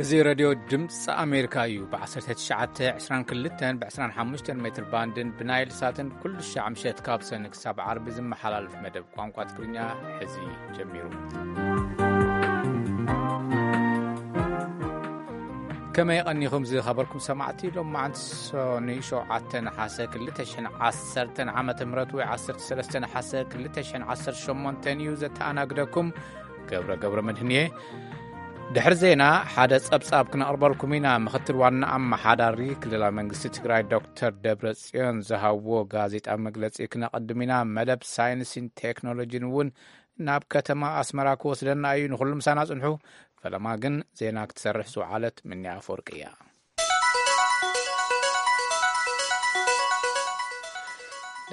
እዚ ሬድዮ ድምፂ ኣሜሪካ እዩ። ብ1922 ብ25 ሜትር ባንድን ብናይል ሳትን ኩሉ ሻዕ ምሸት ካብ ሰኒ ክሳብ ዓርቢ ዝመሓላለፍ መደብ ቋንቋ ትግርኛ ሕዚ ጀሚሩ። ከመይ ቀኒኹም ዝኸበርኩም ሰማዕቲ? ሎም መዓንቲ ሶኒ 7 ነሓሰ 2010 ዓመተ ምህረት ወይ 13 ነሓሰ 2018 እዩ። ዘተኣናግደኩም ገብረ ገብረ መድህን እየ። ድሕሪ ዜና፣ ሓደ ጸብጻብ ክነቕርበልኩም ኢና። ምኽትል ዋና ኣመሓዳሪ ክልላዊ መንግስቲ ትግራይ ዶክተር ደብረ ጽዮን ዝሃብዎ ጋዜጣ መግለጺ ክነቐድም ኢና። መደብ ሳይንስን ቴክኖሎጂን እውን ናብ ከተማ ኣስመራ ክወስደና እዩ። ንኹሉ ምሳና ጽንሑ። ፈለማ ግን ዜና ክትሰርሕ ዝወዓለት ምንያ ኣፈወርቂ እያ።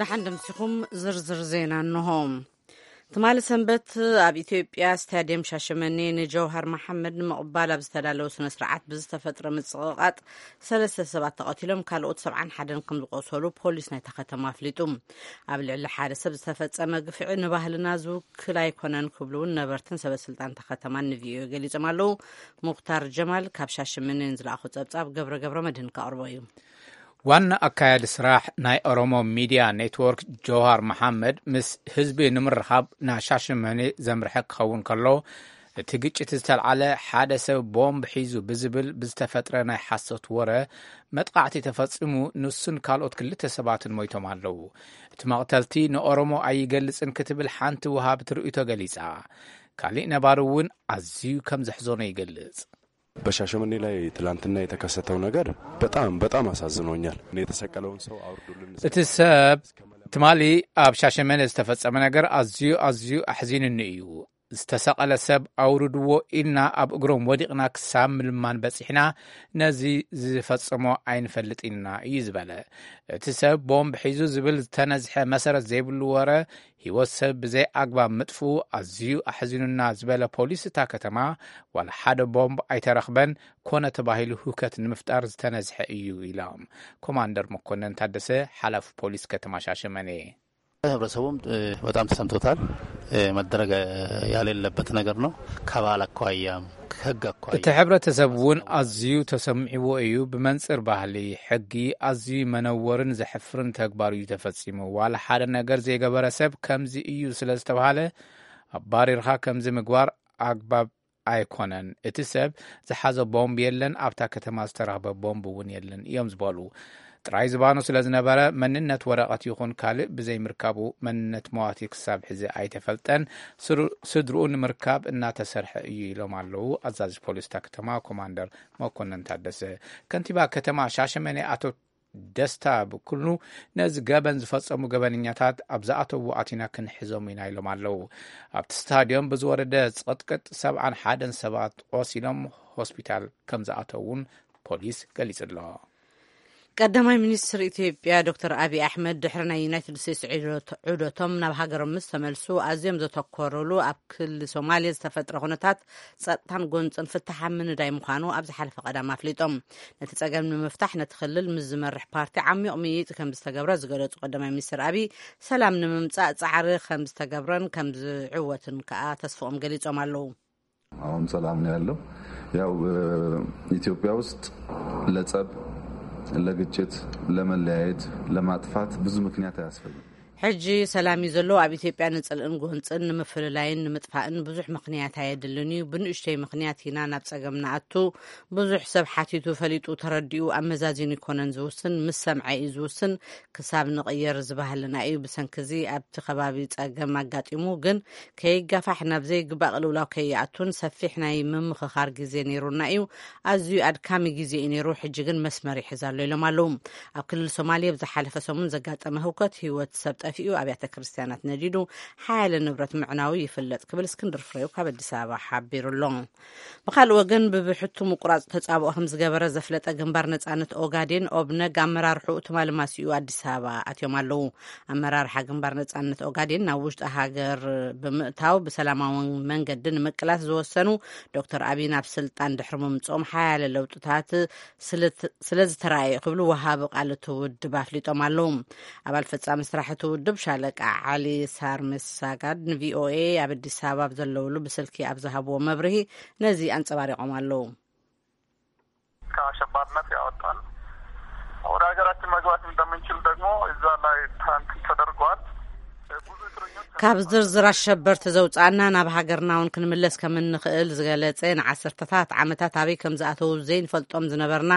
ደሓን ደምሲኹም። ዝርዝር ዜና እንሆ። ትማሊ ሰንበት ኣብ ኢትዮጵያ ስታዲየም ሻሸመኔ ንጀውሃር መሓመድ ንምቕባል ኣብ ዝተዳለወ ስነ ስርዓት ብዝተፈጥረ ምጽቕቓጥ ሰለስተ ሰባት ተቐቲሎም፣ ካልኦት 71 ከም ዝቆሰሉ ፖሊስ ናይታ ከተማ ኣፍሊጡ። ኣብ ልዕሊ ሓደ ሰብ ዝተፈጸመ ግፍዒ ንባህልና ዝውክል ኣይኮነን ክብሉ እውን ነበርትን ሰበስልጣን እታ ከተማን ንቪኦኤ ገሊጾም ኣለዉ። ሙኽታር ጀማል ካብ ሻሸመኔ ንዝለኣኾ ጸብጻብ ገብረ ገብረ መድህን ከቕርቦ እዩ። ዋና ኣካያዲ ስራሕ ናይ ኦሮሞ ሚድያ ኔትወርክ ጀውሃር መሓመድ ምስ ህዝቢ ንምርኻብ ናብ ሻሸመኔ ዘምርሐ ክኸውን ከሎ፣ እቲ ግጭት ዝተልዓለ ሓደ ሰብ ቦምብ ሒዙ ብዝብል ብዝተፈጥረ ናይ ሓሶት ወረ መጥቃዕቲ ተፈጺሙ፣ ንሱን ካልኦት ክልተ ሰባትን ሞይቶም ኣለዉ። እቲ መቕተልቲ ንኦሮሞ ኣይገልጽን ክትብል ሓንቲ ወሃብቲ ርእይቶ ገሊጻ። ካሊእ ነባሪ እውን ኣዝዩ ከም ዘሕዘኖ ይገልጽ። በሻሸመኔ ላይ ትላንትና የተከሰተው ነገር በጣም በጣም አሳዝኖኛል። እኔ የተሰቀለውን ሰው አውርዱልን። እቲ ሰብ ትማሊ ኣብ ሻሸመኔ ዝተፈጸመ ነገር ኣዝዩ ኣዝዩ ኣሕዚኑኒ እዩ። ዝተሰቐለ ሰብ ኣውርድዎ ኢልና ኣብ እግሮም ወዲቕና ክሳብ ምልማን በጺሕና፣ ነዚ ዝፈጸሞ ኣይንፈልጥ ኢና እዩ ዝበለ። እቲ ሰብ ቦምብ ሒዙ ዝብል ዝተነዝሐ መሰረት ዘይብሉ ወረ፣ ህይወት ሰብ ብዘይ ኣግባብ ምጥፍኡ ኣዝዩ ኣሕዚኑና ዝበለ ፖሊስ እታ ከተማ፣ ዋላ ሓደ ቦምብ ኣይተረኽበን፣ ኮነ ተባሂሉ ህውከት ንምፍጣር ዝተነዝሐ እዩ ኢሎም። ኮማንደር መኮነን ታደሰ፣ ሓላፊ ፖሊስ ከተማ ሻሸመኔ። ህብረተሰቡም በጣም ተሰምቶታል። መደረግ ያሌለበት ነገር ነው። ከባህል አኳያም ከህግ አኳያ እቲ ሕብረተሰብ እውን ኣዝዩ ተሰሚዕዎ እዩ። ብመንጽር ባህሊ ሕጊ ኣዝዩ መነወርን ዘሕፍርን ተግባር እዩ ተፈጺሙ። ዋላ ሓደ ነገር ዘይገበረ ሰብ ከምዚ እዩ ስለ ዝተባሃለ ኣባሪርኻ ከምዚ ምግባር ኣግባብ ኣይኮነን። እቲ ሰብ ዝሓዞ ቦምብ የለን፣ ኣብታ ከተማ ዝተረኽበ ቦምብ እውን የለን እዮም ዝበሉ። ጥራይ ዝባኑ ስለ ዝነበረ መንነት ወረቐት ይኹን ካልእ ብዘይምርካቡ መንነት መዋቲ ክሳብ ሕዚ ኣይተፈልጠን። ስሩ-፣ ስድርኡ ንምርካብ እናተሰርሐ እዩ ኢሎም ኣለዉ ኣዛዚ ፖሊስ እታ ከተማ ኮማንደር መኮነን ታደሰ። ከንቲባ ከተማ ሻሸመኔ ኣቶ ደስታ ብኩሉ ነዚ ገበን ዝፈጸሙ ገበነኛታት ኣብ ዝኣተዉ ኣቲና ክንሕዞም ኢና ኢሎም ኣለዉ። ኣብቲ ስታድዮም ብዝወረደ ጽቕጥቅጥ 71 ሰባት ቆሲሎም ሆስፒታል ከም ዝኣተዉን ፖሊስ ገሊጹ ኣሎ። ቀዳማይ ሚኒስትር ኢትዮጵያ ዶክተር ኣብይ ኣሕመድ ድሕሪ ናይ ዩናይትድ ስቴትስ ዑደት-፣ ዑደቶም ናብ ሃገሮም ምስ ተመልሱ ኣዝዮም ዘተኮሩሉ ኣብ ክልል ሶማሌ ዝተፈጥረ ኩነታት ጸጥታን ጎንጽን ፍታሕ ኣብ ምንዳይ ምዃኑ ኣብ ዝሓለፈ ቀዳም ኣፍሊጦም። ነቲ ጸገም ንምፍታሕ ነቲ ክልል ምስ ዝመርሕ ፓርቲ ዓሚቕ ምይይጥ ከም ዝተገብረ ዝገለጹ ቀዳማይ ሚኒስትር ኣብይ፣ ሰላም ንምምጻእ ጻዕሪ ከም ዝተገብረን ከም ዝዕወትን ከኣ ተስፍኦም ገሊጾም ኣለዉ። አሁን ሰላም ነው ያለው። ያው፣ እ፣ ኢትዮጵያ ውስጥ ለጸብ፣ ለግጭት፣ ለመለያየት፣ ለማጥፋት ብዙ ምክንያት አያስፈልግም። ሕጂ ሰላም እዩ ዘሎ። ኣብ ኢትዮጵያ ንጽልእን ጎንጽን ንምፍልላይን ንምጥፋእን ብዙሕ ምኽንያት ኣየድልን እዩ። ብንእሽተይ ምኽንያት ኢና ናብ ጸገም ንኣቱ። ብዙሕ ሰብ ሓቲቱ፣ ፈሊጡ፣ ተረዲኡ፣ ኣመዛዚኑ ይኮነን ዝውስን፣ ምስ ሰምዐ እዩ ዝውስን። ክሳብ ንቕየር ዝባህልና እዩ። ብሰንኪ እዚ ኣብቲ ከባቢ ጸገም ኣጋጢሙ፣ ግን ከይጋፋሕ ናብ ዘይግባእ ቅልውላው ከይኣቱን ሰፊሕ ናይ ምምኽኻር ግዜ ነይሩና እዩ። ኣዝዩ ኣድካሚ ግዜ እዩ ነይሩ። ሕጂ ግን መስመር ይሕዝ ኣሎ ኢሎም ኣለዉ። ኣብ ክልል ሶማሌ ኣብ ዝሓለፈ ሰሙን ዘጋጠመ ህውከት ህይወት ሰብ ጠፊኡ፣ ኣብያተ ክርስቲያናት ነዲዱ፣ ሓያለ ንብረት ምዕናዉ ይፍለጥ ክብል እስክንድር ፍሬው ካብ ኣዲስ ኣበባ ሓቢሩ ኣሎ። ብኻልእ ወገን፣ ብብሕቱ ምቁራጽ ተጻብኦ ከም ዝገበረ ዘፍለጠ ግንባር ነጻነት ኦጋዴን፣ ኦብነግ፣ ኣመራርሕኡ ትማሊ ማሲኡ ኣዲስ ኣበባ ኣትዮም ኣለዉ። ኣመራርሓ ግንባር ነጻነት ኦጋዴን ናብ ውሽጢ ሃገር ብምእታው ብሰላማዊ መንገዲ ንምቅላስ ዝወሰኑ ዶክተር ኣብይ ናብ ስልጣን ድሕሪ ምምጽኦም ሓያለ ለውጥታት ስለ-፣ ስለ ዝተራእየ ክብሉ ወሃቢ ቃል እቲ ውድብ ኣፍሊጦም ኣለዉ። ኣባል ፈጻሚ ስራሕ እቲ ውድብ ሻለቃ ዓሊ ሳርምሳጋድ ንቪኦኤ ኣብ ኣዲስ ኣበባ ኣብ ዘለውሉ ብስልኪ ኣብ ዝሃብዎ መብርሂ ነዚ ኣንጸባሪቖም ኣለዉ። ከአሸባሪነት ያወጣን፣ ወደ ሀገራችን መግባት እንደምንችል ደግሞ እዛ ላይ እንትን ተደርጓል። ብዙ እስረኞች ካብ ዝርዝር ኣሸበርቲ ዘውፃና ናብ ሃገርና እውን ክንምለስ ከም እንኽእል ዝገለፀ፣ ንዓሰርተታት ዓመታት ኣበይ ከም ዝኣተዉ ዘይንፈልጦም ዝነበርና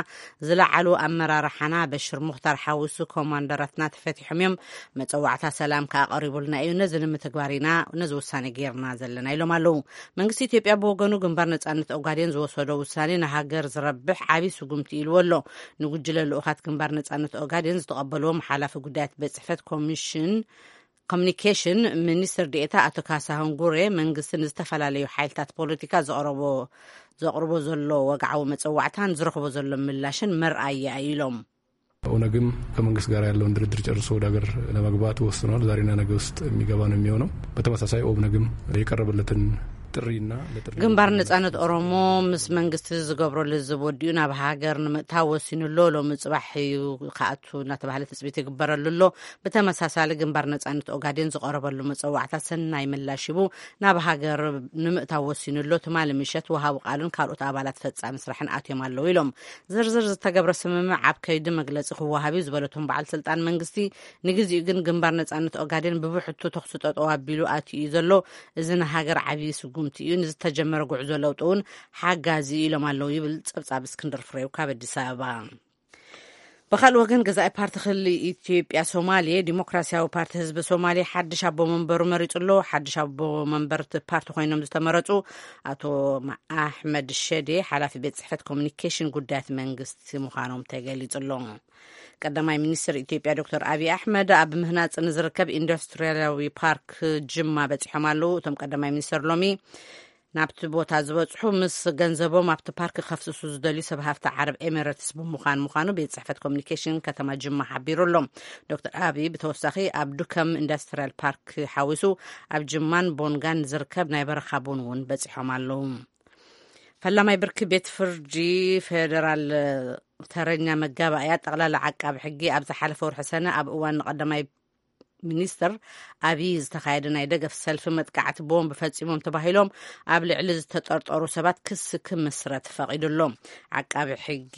ዝለዓሉ ኣመራርሓና በሽር ሙኽታር ሓዊሱ ኮማንደራትና ተፈቲሖም እዮም። መፀዋዕታ ሰላም ከዓ ቀሪቡልና እዩ። ነዚ ንምትግባር ኢና ነዚ ውሳኔ ገይርና ዘለና ኢሎም ኣለዉ። መንግስቲ ኢትዮጵያ ብወገኑ ግንባር ነጻነት ኦጋዴን ዝወሰዶ ውሳኔ ንሃገር ዝረብሕ ዓብዪ ስጉምቲ ኢልዎ ኣሎ። ንጉጅለ ልኡኻት ግንባር ነጻነት ኦጋዴን ዝተቐበልዎም ሓላፊ ጉዳያት ቤት ጽሕፈት ኮሚሽን ኮሚኒኬሽን ሚኒስትር ዴኤታ ኣቶ ካሳሁን ጉሬ፣ መንግስቲ ንዝተፈላለዩ ሓይልታት ፖለቲካ ዘቕረቦ ዘቕርቦ ዘሎ ወግዓዊ መጸዋዕታን ዝረኽቦ ዘሎ ምላሽን መርኣያ እዩ ኢሎም። ኦነግም ከመንግስት ጋር ያለውን ድርድር ጨርሶ ወደ ሀገር ለመግባት ወስኗል። ዛሬና ነገ ውስጥ የሚገባ ነው የሚሆነው። በተመሳሳይ ኦብነግም የቀረበለትን ጥሪና ለጥሪ ግንባር ነጻነት ኦሮሞ ምስ መንግስቲ ዝገብሮ ልዝብ ወዲኡ ናብ ሃገር ንምእታው ወሲኑ ኣሎ። ሎሚ ጽባሕ እዩ ክኣቱ እናተባህለ ትጽቢት ይግበረሉ ኣሎ። ብተመሳሳሊ ግንባር ነጻነት ኦጋዴን ዝቐረበሉ መጸዋዕታ ሰናይ ምላሽ ሂቡ ናብ ሃገር ንምእታው ወሲኑ ኣሎ። ትማሊ ምሸት ወሃቢ ቃሉን ካልኦት ኣባላት ፈጻሚ ስራሕን ኣትዮም ኣለዉ ኢሎም። ዝርዝር ዝተገብረ ስምምዕ ኣብ ከይዲ መግለጺ ክወሃብ እዩ ዝበለቶም በዓል ስልጣን መንግስቲ፣ ንግዚኡ ግን ግንባር ነጻነት ኦጋዴን ብብሕቱ ተኹሲ ጠጠው ኣቢሉ ኣትዩ እዩ ዘሎ። እዚ ንሃገር ዓብዪ ስጉምቲ እዩ። ንዝተጀመረ ጉዕዞ ለውጢ እውን ሓጋዚ እዩ ኢሎም ኣለዉ ይብል ጸብጻብ እስክንድር ፍሬው ካብ ኣዲስ ኣበባ። ብኻልእ ወገን ገዛኢ ፓርቲ ክልል ኢትዮጵያ ሶማሌ ዲሞክራሲያዊ ፓርቲ ህዝቢ ሶማሌ ሓድሽ ኣቦ መንበሩ መሪጹ ኣሎ። ሓድሽ ኣቦ መንበር እቲ ፓርቲ ኮይኖም ዝተመረጹ ኣቶ ኣሕመድ ሸዴ ሓላፊ ቤት ጽሕፈት ኮሚኒኬሽን ጉዳያት መንግስቲ ምዃኖም ተገሊጹ ኣሎ። ቀዳማይ ሚኒስትር ኢትዮጵያ ዶክተር ኣብይ ኣሕመድ ኣብ ምህናጽ ንዝርከብ ኢንዱስትሪያላዊ ፓርክ ጅማ በጺሖም ኣለዉ። እቶም ቀዳማይ ሚኒስትር ሎሚ ናብቲ ቦታ ዝበጽሑ ምስ ገንዘቦም ኣብቲ ፓርክ ከፍስሱ ዝደልዩ ሰብ ሃፍቲ ዓረብ ኤሚሬትስ ብምዃን ምዃኑ ቤት ጽሕፈት ኮሚኒኬሽን ከተማ ጅማ ሓቢሩ ኣሎ። ዶክተር ኣብይ ብተወሳኺ ኣብ ዱከም ኢንዱስትሪያል ፓርክ ሓዊሱ ኣብ ጅማን ቦንጋን ዝርከብ ናይ በረኻ ቡን እውን በጺሖም ኣለዉ። ፈላማይ ብርኪ ቤት ፍርዲ ፌደራል ተረኛ መጋባእያ ጠቕላላ ዓቃቢ ሕጊ ኣብ ዝሓለፈ ወርሒ ሰነ ኣብ እዋን ንቐዳማይ ሚኒስትር ኣብይ ዝተኻየደ ናይ ደገፍ ሰልፊ መጥቃዕቲ ቦምብ ፈጺሞም ተባሂሎም ኣብ ልዕሊ ዝተጠርጠሩ ሰባት ክሲ ክምስረት ፈቒዱ ኣሎ። ዓቃቢ ሕጊ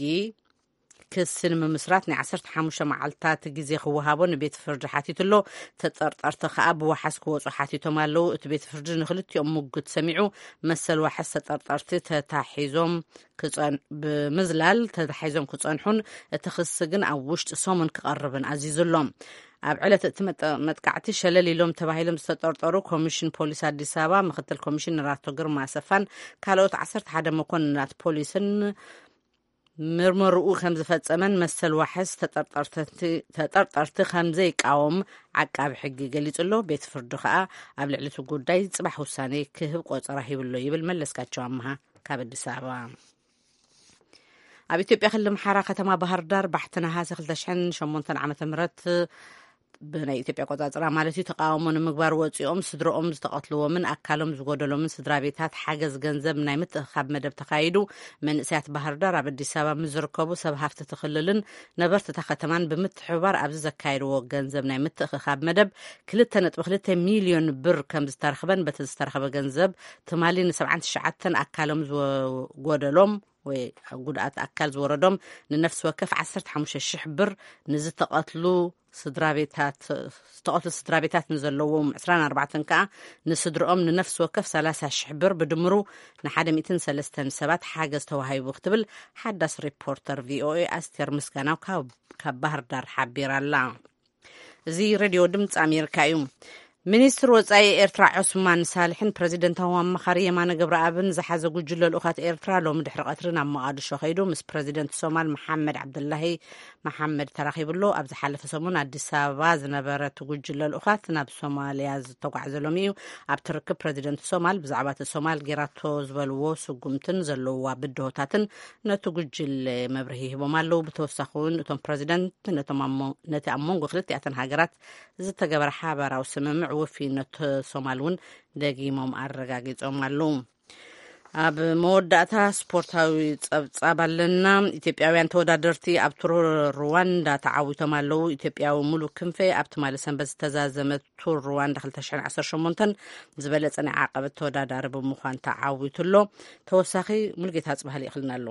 ክሲ ንምምስራት ናይ ዓሰርተ ሓሙሽተ መዓልታት ግዜ ክወሃቦ ንቤት ፍርዲ ሓቲቱ ኣሎ። ተጠርጠርቲ ከኣ ብዋሓስ ክወጹ ሓቲቶም ኣለዉ። እቲ ቤት ፍርዲ ንክልቲኦም ምጉት ሰሚዑ መሰል ዋሕስ ተጠርጠርቲ ተታሒዞም ክጸን-፣ ብምዝላል ተታሒዞም ክጸንሑን እቲ ክሲ ግን ኣብ ውሽጢ ሰሙን ክቐርብን ኣዚዙ ኣሎ። ኣብ ዕለት እቲ መጠ-፣ መጥቃዕቲ ሸለል ኢሎም ተባሂሎም ዝተጠርጠሩ ኮሚሽን ፖሊስ ኣዲስ ኣበባ ምክትል ኮሚሽነር ኣቶ ግርማ ኣሰፋን ካልኦት ዓሰርተ ሓደ መኮንናት ፖሊስን ምርመርኡ ከም ዝፈጸመን መሰል ዋሕስ ተጠርጠርቲ፣ ተጠርጠርቲ ከም ዘይቃወም ዓቃቢ ሕጊ ገሊጹ ኣሎ። ቤት ፍርዲ ከኣ ኣብ ልዕሊ እቲ ጉዳይ ጽባሕ ውሳኔ ክህብ ቆጸራ ሂብሎ ይብል መለስካቸው ኣምሃ ካብ ኣዲስ ኣበባ። ኣብ ኢትዮጵያ ክልል ኣምሓራ ከተማ ባህር ዳር ባሕቲ ነሃሰ ክልተ ሽሕን ሸሞንተን ዓመተ ምህረት ብናይ ኢትዮጵያ ኣቆጻጽራ ማለት እዩ፣ ተቃውሞ ንምግባር ወጺኦም ስድረኦም ዝተቐትልዎምን ኣካሎም ዝጎደሎምን ስድራ ቤታት ሓገዝ ገንዘብ ናይ ምትእኽኻብ መደብ ተኻይዱ። መንእሰያት ባህር ዳር ኣብ ኣዲስ ኣበባ ምስ ዝርከቡ ሰብ ሃፍቲ እቲ ክልልን ነበርቲ እታ ከተማን ብምትሕብባር ኣብዚ ዘካየድዎ ገንዘብ ናይ ምትእኽኻብ መደብ ክልተ ነጥቢ ክልተ ሚልዮን ብር ከም ዝተረኽበን በቲ ዝተረኽበ ገንዘብ ትማሊ ንሰብዓን ትሽዓተን ኣካሎም ዝጎደሎም ወይ ጉድኣት ኣካል ዝወረዶም ንነፍሲ ወከፍ ዓሰርተ ሓሙሽተ ሽሕ ብር፣ ንዝተቐትሉ ስድራ ቤታት፣ ዝተቐትሉ ስድራ ቤታት ንዘለዎም ዕስራን ኣርባዕተን ከኣ ንስድርኦም ንነፍሲ ወከፍ ሰላሳ ሽሕ ብር፣ ብድምሩ ንሓደ ሚእትን ሰለስተን ሰባት ሓገዝ ተዋሂቡ ክትብል ሓዳስ ሪፖርተር ቪኦኤ ኣስቴር ምስጋናው ካብ፣ ካብ ባህር ዳር ሓቢራ ኣላ። እዚ ሬድዮ ድምፂ ኣሜሪካ እዩ። ሚኒስትር ወጻኢ ኤርትራ ዑስማን ሳልሕን ፕረዚደንታዊ ኣማኻሪ የማነ ገብረኣብን ዝሓዘ ጉጅለ ልኡኻት ኤርትራ ሎሚ ድሕሪ ቀትሪ ናብ መቓድሾ ከይዱ ምስ ፕረዚደንት ሶማል መሓመድ ዓብደላሂ መሓመድ ተራኺቡ ኣሎ። ኣብ ዝሓለፈ ሰሙን ኣዲስ ኣበባ ዝነበረ እቲ ጉጅለ ልኡኻት ናብ ሶማልያ ዝተጓዕዘ ሎሚ እዩ። ኣብቲ ርክብ ፕረዚደንት ሶማል ብዛዕባ እቲ ሶማል ጌራቶ ዝበልዎ ስጉምትን ዘለውዋ ብድሆታትን ነቲ ጉጅለ መብርሂ ሂቦም ኣለዉ። ብተወሳኺ እውን እቶም ፕረዚደንት ነቶም ኣብ ሞ-፣ ነቲ ኣብ መንጎ ክልቲኣተን ሃገራት ዝተገበረ ሓባራዊ ስምምዕ ውፊነት ሶማል እውን ደጊሞም ኣረጋጊጾም ኣለዉ። ኣብ መወዳእታ ስፖርታዊ ጸብጻብ ኣለና። ኢትዮጵያውያን ተወዳደርቲ ኣብ ቱር ሩዋንዳ ተዓዊቶም ኣለዉ። ኢትዮጵያዊ ሙሉ ክንፈ ኣብ ትማሊ ሰንበት ዝተዛዘመ ቱር ሩዋንዳ ክልተ ሽሕን ዓሰርተ ሸሞንተን ዝበለጸ ናይ ዓቐበት ተወዳዳሪ ብምዃን ተዓዊቱ ኣሎ። ተወሳኺ ሙሉጌታ ጽባህ ልኢኽልና ኣሎ።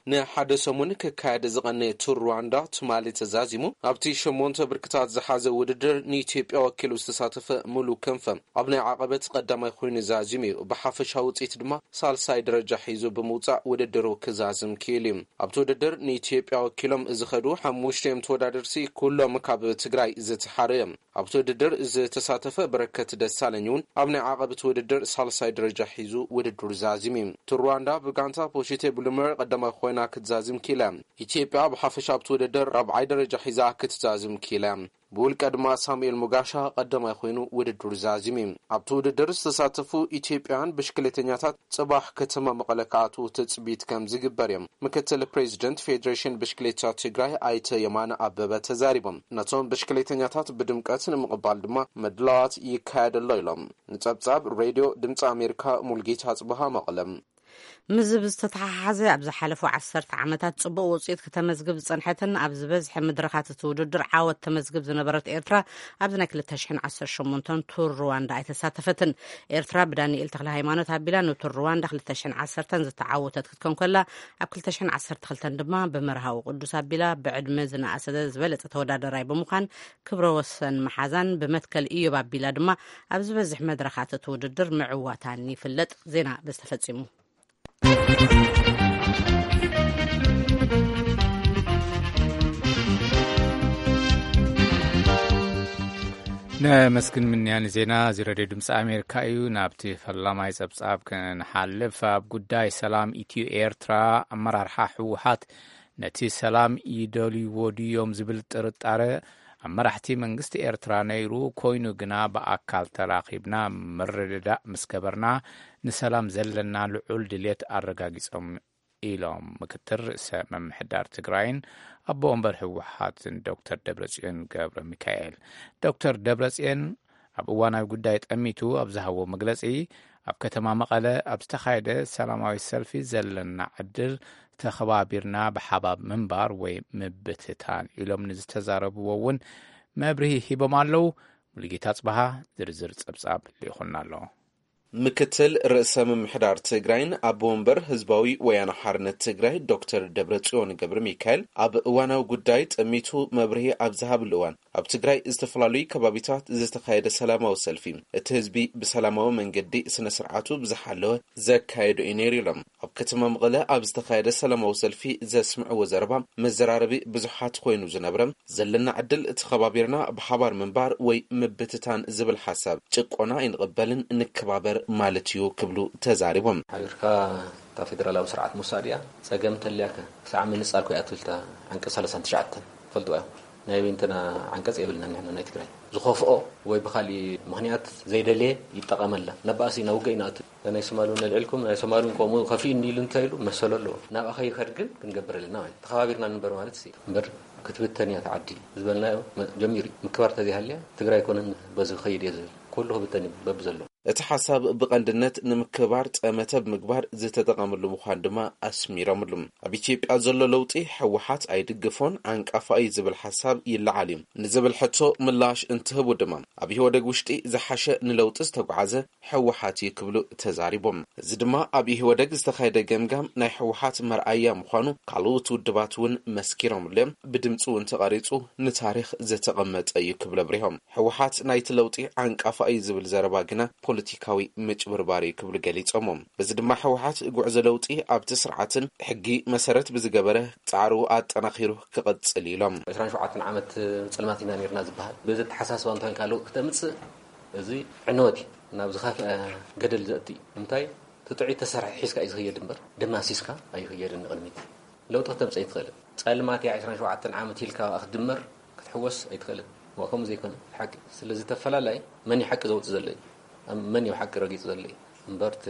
ንሓደ ሰሙን ክካየድ ዝቐነየ ቱር ሩዋንዳ ትማሊ ተዛዚሙ። ኣብቲ ሸሞንተ ብርክታት ዝሓዘ ውድድር ንኢትዮጵያ ወኪሉ ዝተሳተፈ ሙሉ ክንፈ ኣብ ናይ ዓቐበት ቀዳማይ ኮይኑ ዛዚሙ እዩ። ብሓፈሻ ውፅኢት ድማ ሳልሳይ ደረጃ ሒዙ ብምውፃእ ውድድሩ ክዛዝም ክኢሉ እዩ። ኣብቲ ውድድር ንኢትዮጵያ ወኪሎም ዝኸዱ ሓሙሽተ እዮም ተወዳደርቲ፣ ኩሎም ካብ ትግራይ ዝተሓሩ እዮም። ኣብቲ ውድድር ዝተሳተፈ በረከት ደሳለኝ እውን ኣብ ናይ ዓቐብቲ ውድድር ሳልሳይ ደረጃ ሒዙ ውድድሩ ዛዚሙ እዩ። እቲ ሩዋንዳ ብጋንታ ፖሺቴ ብሉመር ቀዳማይ ኮይና ክትዛዝም ኪኢላ። ኢትዮጵያ ብሓፈሻ ኣብቲ ውድድር ራብዓይ ደረጃ ሒዛ ክትዛዝም ኪኢላ። ብውልቀ ድማ ሳሙኤል ሙጋሻ ቀዳማይ ኮይኑ ውድድሩ ዛዚሙ እዩ። ኣብቲ ውድድር ዝተሳተፉ ኢትዮጵያውያን ብሽክሌተኛታት ጽባሕ ከተማ መቐለ ክኣትዉ ትጽቢት ከም ዝግበር እዮም ምክትል ፕሬዚደንት ፌዴሬሽን ብሽክሌታ ትግራይ ኣይተ የማነ ኣበበ ተዛሪቦም። ነቶም ብሽክሌተኛታት ብድምቀት ንምቕባል ድማ ምድላዋት ይካየድ ኣሎ ኢሎም። ንጸብጻብ ሬድዮ ድምፂ ኣሜሪካ ሙልጌታ ጽበሃ መቐለ። ምስ ዝተተሓሓዘ ኣብ ዝሓለፉ ዓሰርተ ዓመታት ጽቡቕ ውጽኢት ከተመዝግብ ዝጸንሐትን ኣብ ዝበዝሐ መድረኻት እቲ ውድድር ዓወት ተመዝግብ ዝነበረት ኤርትራ ኣብዚ ናይ ክልተ ሽሕን ዓሰርተ ሸሞንተን ቱር ሩዋንዳ ኣይተሳተፈትን። ኤርትራ ብዳንኤል ተክለ ሃይማኖት ኣቢላ ንቱር ሩዋንዳ ክልተ ሽሕን ዓሰርተን ዝተዓወተት ክትከውን ከላ፣ ኣብ ክልተ ሽሕን ዓሰርተ ክልተን ድማ ብመርሃዊ ቅዱስ ኣቢላ ብዕድመ ዝነኣሰ ዝበለጸ ተወዳደራይ ብምዃን ክብረ ወሰን መሓዛን ብመትከል ኢዮብ ኣቢላ ድማ ኣብ ዝበዝሕ መድረኻት እቲ ውድድር ምዕዋታን ይፍለጥ። ዜና በዚ ተፈጺሙ። ነመስግን ምንያ ንዜና እዚ ሬድዮ ድምፂ ኣሜሪካ እዩ። ናብቲ ፈላማይ ጸብጻብ ክንሓልፍ፣ ኣብ ጉዳይ ሰላም ኢትዮ ኤርትራ ኣመራርሓ ህወሓት ነቲ ሰላም ይደልይዎ ድዮም ዝብል ጥርጣረ ኣብ መራሕቲ መንግስቲ ኤርትራ ነይሩ ኮይኑ ግና ብኣካል ተራኺብና ምርድዳእ ምስ ገበርና ንሰላም ዘለና ልዑል ድልየት ኣረጋጊጾም ኢሎም ምክትል ርእሰ ምምሕዳር ትግራይን ኣቦ ወንበር ህወሓትን ዶክተር ደብረጽዮን ገብረ ሚካኤል። ዶክተር ደብረጽዮን ኣብ እዋናዊ ጉዳይ ጠሚቱ ኣብ ዝሃቦ መግለጺ፣ ኣብ ከተማ መቐለ ኣብ ዝተኻየደ ሰላማዊ ሰልፊ ዘለና ዕድል ተኸባቢርና ብሓባር ምንባር ወይ ምብትታን ኢሎም ንዝተዛረብዎ እውን መብርሂ ሂቦም ኣለዉ። ሙሉጌታ ጽበሃ ዝርዝር ጸብጻብ ልኢኹልና ኣሎ። ምክትል ርእሰ ምምሕዳር ትግራይን ኣቦ ወንበር ህዝባዊ ወያነ ሓርነት ትግራይ ዶክተር ደብረጽዮን ገብረ ሚካኤል ኣብ እዋናዊ ጉዳይ ጠሚቱ መብርሂ ኣብ ዝሃብሉ እዋን፣ ኣብ ትግራይ ዝተፈላለዩ ከባቢታት ዝተኻየደ ሰላማዊ ሰልፊ፣ እቲ ህዝቢ ብሰላማዊ መንገዲ ስነ ስርዓቱ ብዝሓለወ ዘካየዶ እዩ ነይሩ ኢሎም። ኣብ ከተማ መቐለ ኣብ ዝተኻየደ ሰላማዊ ሰልፊ ዘስምዕዎ ዘረባ መዘራረቢ ብዙሓት ኮይኑ ዝነብረ፣ ዘለና ዕድል ተኸባቢርና ብሓባር ምንባር ወይ ምብትታን ዝብል ሓሳብ ጭቆና ኣይንቕበልን፣ ንከባበር ማለት እዩ ክብሉ ተዛሪቦም። ሓቢርካ እታ ፌደራላዊ ስርዓት ምውሳድ እያ። ጸገም እንተልያከ ክሳዕ ምንጻል ኮይ ኣትብል እታ ዓንቀጽ ሰላሳን ትሽዓተን ትፈልጥዋ ኢኹም። ናይ በይንትና ዓንቀጽ የብልና ንሕና ናይ ትግራይ። ዝኸፍኦ ወይ ብኻሊእ ምኽንያት ዘይደልየ ይጠቐመላ። ነባእሲ ናብ ውግእ ኢና ኣቱ። ናይ ሶማል እውን ኣልዒልኩም፣ ናይ ሶማል እውን ከምኡ ከፊኡኒ ኢሉ እንታይ ኢሉ መሰሉ ኣለዎ። ናብኣ ከይኸድ ግን ክንገብር ኣለና ማለት እዩ። ተኸባቢርና ንንበር ማለት እዩ። እምበር ክትብተን እያ እታ ዓዲ ዝበልናዮ መ-፣ ጀሚሩ እዩ። ምክባር ተዘይሃልያ ትግራይ ኣይኮነን በዚ ክኸይድ እየ ዝብል። ኩሉ ክብተን እዩ በብዘሎ። እቲ ሓሳብ ብቐንድነት ንምክባር ጠመተ ብምግባር ዝተጠቐምሉ ምዃን ድማ ኣስሚሮምሉ። ኣብ ኢትዮጵያ ዘሎ ለውጢ ህወሓት ኣይድግፎን፣ ዓንቃፋ እዩ ዝብል ሓሳብ ይለዓል እዩ ንዝብል ሕቶ ምላሽ እንትህቡ ድማ፣ ኣብ ኢህወደግ ውሽጢ ዝሓሸ ንለውጢ ዝተጓዓዘ ህወሓት እዩ ክብሉ ተዛሪቦም። እዚ ድማ ኣብ ኢህወደግ ዝተኻየደ ገምጋም ናይ ህወሓት መርኣያ ምዃኑ ካልኦት ውድባት እውን መስኪሮምሉ እዮም። ብድምፂ እውን ተቐሪፁ ንታሪኽ ዝተቐመጠ እዩ ክብሉ ኣብሪሆም። ህወሓት ናይቲ ለውጢ ዓንቃፋ እዩ ዝብል ዘረባ ግና ፖለቲካዊ ምጭብርባር እዩ ክብሉ ገሊጾሞ። በዚ ድማ ህወሓት ጉዕዞ ለውጢ ኣብቲ ስርዓትን ሕጊ መሰረት ብዝገበረ ጻዕሩ ኣጠናኺሩ ክቕጽል ኢሎም። ዕስራን ሸውዓተን ዓመት ጸልማት ኢና ነርና ዝበሃል። በዚ ኣተሓሳስባ እንታይ ካልእ ክተምጽእ፣ እዚ ዕንወት እዩ። ናብ ዝኸፍአ ገደል ዘእቲ እዩ። እንታይ? ትጥዑይ ተሰርሒ ሒዝካ እዩ ዝኸየድ እምበር፣ ደማሲስካ ኣይኸየድን ንቕድሚት። ለውጢ ክተምጽእ ኣይትኽእልን። ጸልማት እያ ዕስራን ሸውዓተን ዓመት ኢልካ ክትድመር ክትሕወስ ኣይትኽእልን። ዋ፣ ከምኡ ዘይኮነ ሓቂ። ስለዚ ተፈላላይ መን እዩ ሓቂ ዘውጽእ ዘሎ እዩ? ኣብ መን እዩ ሓቂ ረጊጹ ዘሎ እዩ? እምበር እቲ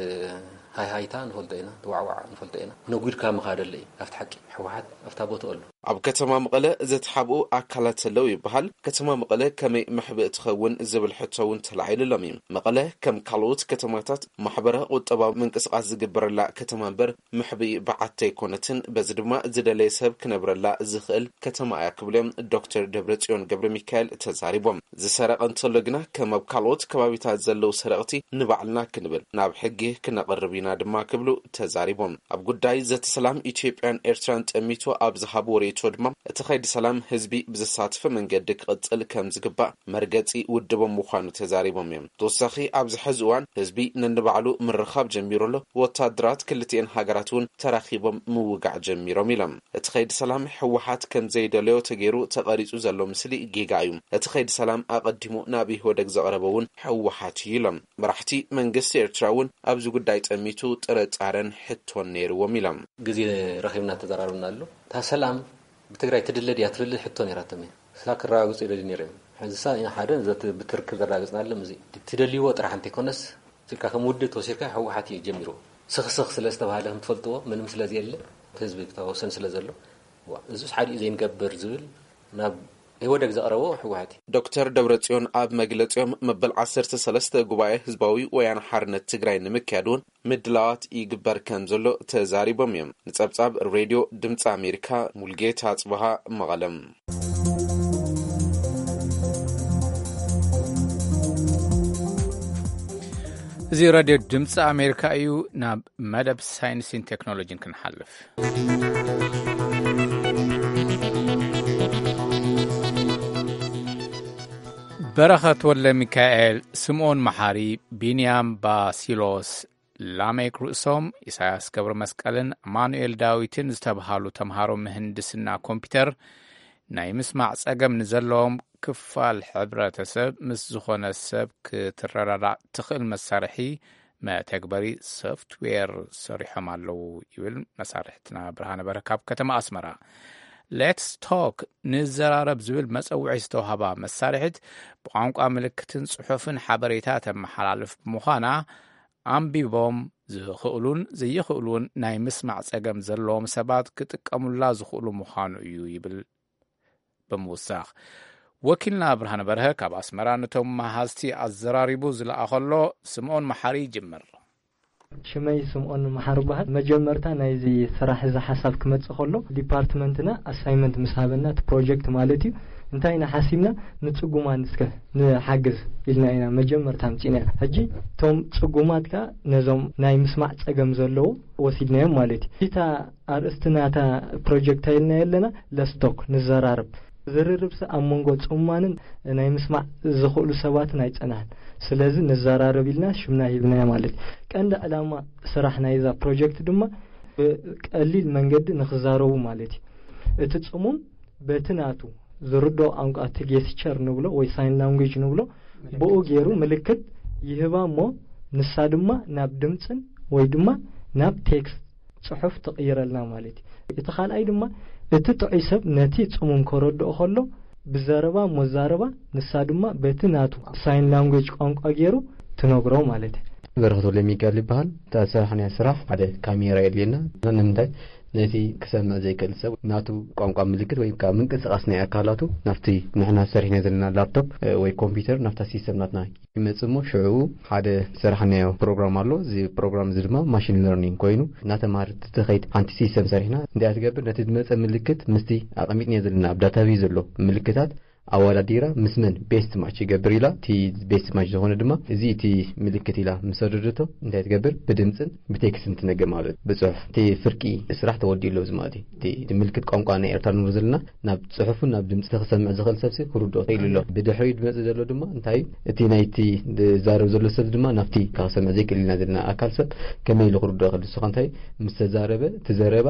ሃይሃይታ ንፈልጦ ኢና፣ እቲ ዋዕዋዕ ንፈልጦ ኢና። ነጒድካ ምኻድ ኣሎ እዩ ካብቲ ሓቂ። ህወሓት ኣብታ ቦትኡ ኣሎ። ኣብ ከተማ መቐለ ዝተሓብኡ ኣካላት ኣለዉ ይበሃል። ከተማ መቐለ ከመይ መሕብእ ትኸውን ዝብል ሕቶ እውን ተላዒሉሎም እዩ። መቐለ ከም ካልኦት ከተማታት ማሕበረ ቁጠባዊ ምንቅስቃስ ዝግበረላ ከተማ እምበር፣ መሕብኢ በዓቲ ኣይኮነትን። በዚ ድማ ዝደለየ ሰብ ክነብረላ ዝኽእል ከተማ እያ ክብሉ እዮም ዶክተር ደብረጽዮን ገብረ ሚካኤል ተዛሪቦም። ዝሰረቐ እንተሎ ግና ከም ኣብ ካልኦት ከባቢታት ዘለዉ ሰረቕቲ ንባዕልና ክንብል ናብ ሕጊ ክነቕርብ ኢና ድማ ክብሉ ተዛሪቦም። ኣብ ጉዳይ ዘተ ሰላም ኢትዮጵያን ኤርትራን ጠሚቱ ኣብ ዝሃብዎ ርእይቶ ድማ እቲ ኸይዲ ሰላም ህዝቢ ብዘሳተፈ መንገዲ ክቕጽል ከም ዝግባእ መርገጺ ውድቦም ምዃኑ ተዛሪቦም እዮም። ተወሳኺ ኣብዚ ሕዚ እዋን ህዝቢ ነንባዕሉ ምርኻብ ጀሚሩ ኣሎ። ወታደራት ክልቲኤን ሃገራት እውን ተራኺቦም ምውጋዕ ጀሚሮም ኢሎም። እቲ ኸይዲ ሰላም ህወሓት ከም ዘይደለዮ ተገይሩ ተቐሪጹ ዘሎ ምስሊ ጌጋ እዩ። እቲ ኸይዲ ሰላም ኣቐዲሙ ናብ ኢህወደግ ዘቕረበ እውን ህወሓት እዩ ኢሎም። መራሕቲ መንግስቲ ኤርትራ እውን ኣብዚ ጉዳይ ጠሚቱ ጥርጣረን ሕቶን ነይርዎም ኢሎም። ግዜ ረኺብና ተዘራርብና ኣሎ። እታ ሰላም ብትግራይ ትድለ ድያ ትብል ሕቶ ነይራቶም እያ። ስላ ክረጋግጹ ይደልዩ ነይሮም እዮም። ሕዚ ሳ ኢና ሓደ ዘት-፣ ብትርክብ ዘረጋግጽናሎም እዚ ትደልይዎ ጥራሕ እንተይኮነስ፣ ስልካ ከም ውድብ ተወሲድካ ህወሓት እዩ ጀሚርዎ። ስኽስኽ ስለ ዝተባሃለ ከም ትፈልጥዎ፣ ምንም ስለ ዘየለ፣ ህዝቢ ክተወሰን ስለ ዘሎ፣ ዋ፣ እዙስ ሓዲኡ ዘይንገብር ዝብል ናብ ኢህወደግ ዘቕረቦ ህወሓት እዩ። ዶክተር ደብረጽዮን ኣብ መግለጺኦም፣ መበል ዓሰርተ ሰለስተ ጉባኤ ህዝባዊ ወያነ ሓርነት ትግራይ ንምክያድ እውን ምድላዋት ይግበር ከም ዘሎ ተዛሪቦም እዮም። ንጸብጻብ ሬድዮ ድምፂ ኣሜሪካ፣ ሙልጌታ ኣጽብሃ፣ መቐለም። እዚ ሬድዮ ድምፂ ኣሜሪካ እዩ። ናብ መደብ ሳይንስን ቴክኖሎጂን ክንሓልፍ። በረኸት ወልደ ሚካኤል፣ ስምኦን መሓሪ፣ ቢንያም ባሲሎስ፣ ላሜክ ርእሶም፣ ኢሳያስ ገብረ መስቀልን ኣማኑኤል ዳዊትን ዝተብሃሉ ተምሃሮ ምህንድስና ኮምፒውተር፣ ናይ ምስማዕ ጸገም ንዘለዎም ክፋል ሕብረተሰብ ምስ ዝኾነ ሰብ ክትረዳዳእ ትኽእል መሳርሒ መተግበሪ ሶፍትዌር ሰሪሖም ኣለዉ ይብል መሳርሕትና ብርሃነ በረካ ካብ ከተማ ኣስመራ። ሌትስ ቶክ፣ ንዘራረብ ዝብል መጸውዒ ዝተዋህባ መሳርሒት፣ ብቋንቋ ምልክትን ጽሑፍን ሓበሬታ ተመሓላልፍ ብምዃና፣ ኣንቢቦም ዝኽእሉን ዘይኽእሉን ናይ ምስማዕ ጸገም ዘለዎም ሰባት ክጥቀሙላ ዝኽእሉ ምዃኑ እዩ ይብል ብምውሳኽ። ወኪልና ብርሃነ በርሀ ካብ ኣስመራ ነቶም መሃዝቲ ኣዘራሪቡ ዝለኣኸሎ። ስምኦን መሓሪ ይጅምር። ሽመይ ስምኦን መሓሪ በሃል። መጀመርታ ናይዚ ስራሕ እዚ ሓሳብ ክመጽእ ከሎ፣ ዲፓርትመንትና ኣሳይመንት ምስ ሃበና፣ እቲ ፕሮጀክት ማለት እዩ፣ እንታይ ኢና ሓሲብና፣ ንጽጉማን እስከ ንሓግዝ ኢልና ኢና መጀመርታ ኣምጺእና። ሕጂ እቶም ጽጉማት ከኣ ነዞም ናይ ምስማዕ ጸገም ዘለዎም ወሲድናዮም ማለት እዩ። እታ ኣርእስቲ ናታ ፕሮጀክት ኢልና የለና፣ ለስቶክ፣ ንዘራረብ። ዝርርብሲ ኣብ መንጎ ጽማንን ናይ ምስማዕ ዝኽእሉ ሰባትን ኣይጸንሐን። ስለዚ ንዘራረብ ኢልና ሽምና ሂብናዮ ማለት እዩ። ቀንዲ ዕላማ ስራሕ ናይዛ ፕሮጀክት ድማ ብቀሊል መንገዲ ንኽዛረቡ ማለት እዩ። እቲ ጽሙም በቲ ናቱ ዝርድኦ ቋንቋ፣ እቲ ጌስቸር ንብሎ ወይ ሳይን ላንጉጅ ንብሎ፣ ብኡ ገይሩ ምልክት ይህባ እሞ፣ ንሳ ድማ ናብ ድምጽን ወይ ድማ ናብ ቴክስት ጽሑፍ ትቕይረልና ማለት እዩ። እቲ ካልኣይ ድማ እቲ ጥዑይ ሰብ ነቲ ጽሙም ከረድኦ ከሎ ብዘረባ እሞ ዛረባ፣ ንሳ ድማ በቲ ናቱ ሳይን ላንጉጅ ቋንቋ ገይሩ ትነግሮ ማለት እዩ። በረኸት ወልደሚካኤል ይበሃል። እታ ዝሰራሕናያ ስራሕ ሓደ ካሜራ የድልየና። ንምንታይ? ነቲ ክሰምዕ ዘይክእል ሰብ ናቱ ቋንቋ ምልክት ወይ ከዓ ምንቅስቃስ ናይ ኣካላቱ ናብቲ ንሕና ሰሪሕና ዘለና ላፕቶፕ፣ እ፣ ወይ ኮምፒውተር ናብታ ሲስተም ናትና ይመጽእ እሞ ሽዑ ሓደ ዝሰራሕናዮ ፕሮግራም ኣሎ። እዚ ፕሮግራም እዚ ድማ ማሽን ለርኒንግ ኮይኑ እናተማሃረ እቲ ከይድ ሓንቲ ሲስተም ሰሪሕና እንታይ ትገብር፣ ነቲ ዝመጸ ምልክት ምስቲ ኣቐሚጥናዮ ዘለና ኣብ ዳታቤዝ ዘሎ ምልክታት ኣወዳዲራ ምስ መን ቤስት ማች ይገብር ኢላ፣ እቲ ቤስት ማች ዝኾነ ድማ እዚ እቲ ምልክት ኢላ ምስ ሰደደቶ እንታይ ትገብር፣ ብድምፅን ብቴክስትን ትነግር ማለት እዩ። ብፅሑፍ እቲ ፍርቂ ስራሕ ተወዲኡ ኣሎ እዚ ማለት እዩ። እቲ ምልክት ቋንቋ ናይ ኤርትራ ንብሎ ዘለና ናብ ጽሑፍን ናብ ድምፂ ክሰምዕ ዝኽእል ሰብሲ ክርድኦ ክኢሉ ኣሎ። ብድሕሪኡ ዝመጽእ ዘሎ ድማ እንታይ፣ እቲ ናይቲ ዝዛረብ ዘሎ ሰብ ድማ ናብቲ ክሰምዕ ዘይክእል ኢና ዘለና ኣካል ሰብ ከመይ ኢሉ ክርድኦ ክእል? ንሱ ከ እንታይ፣ ምስ ተዛረበ፣ እቲ ዘረባ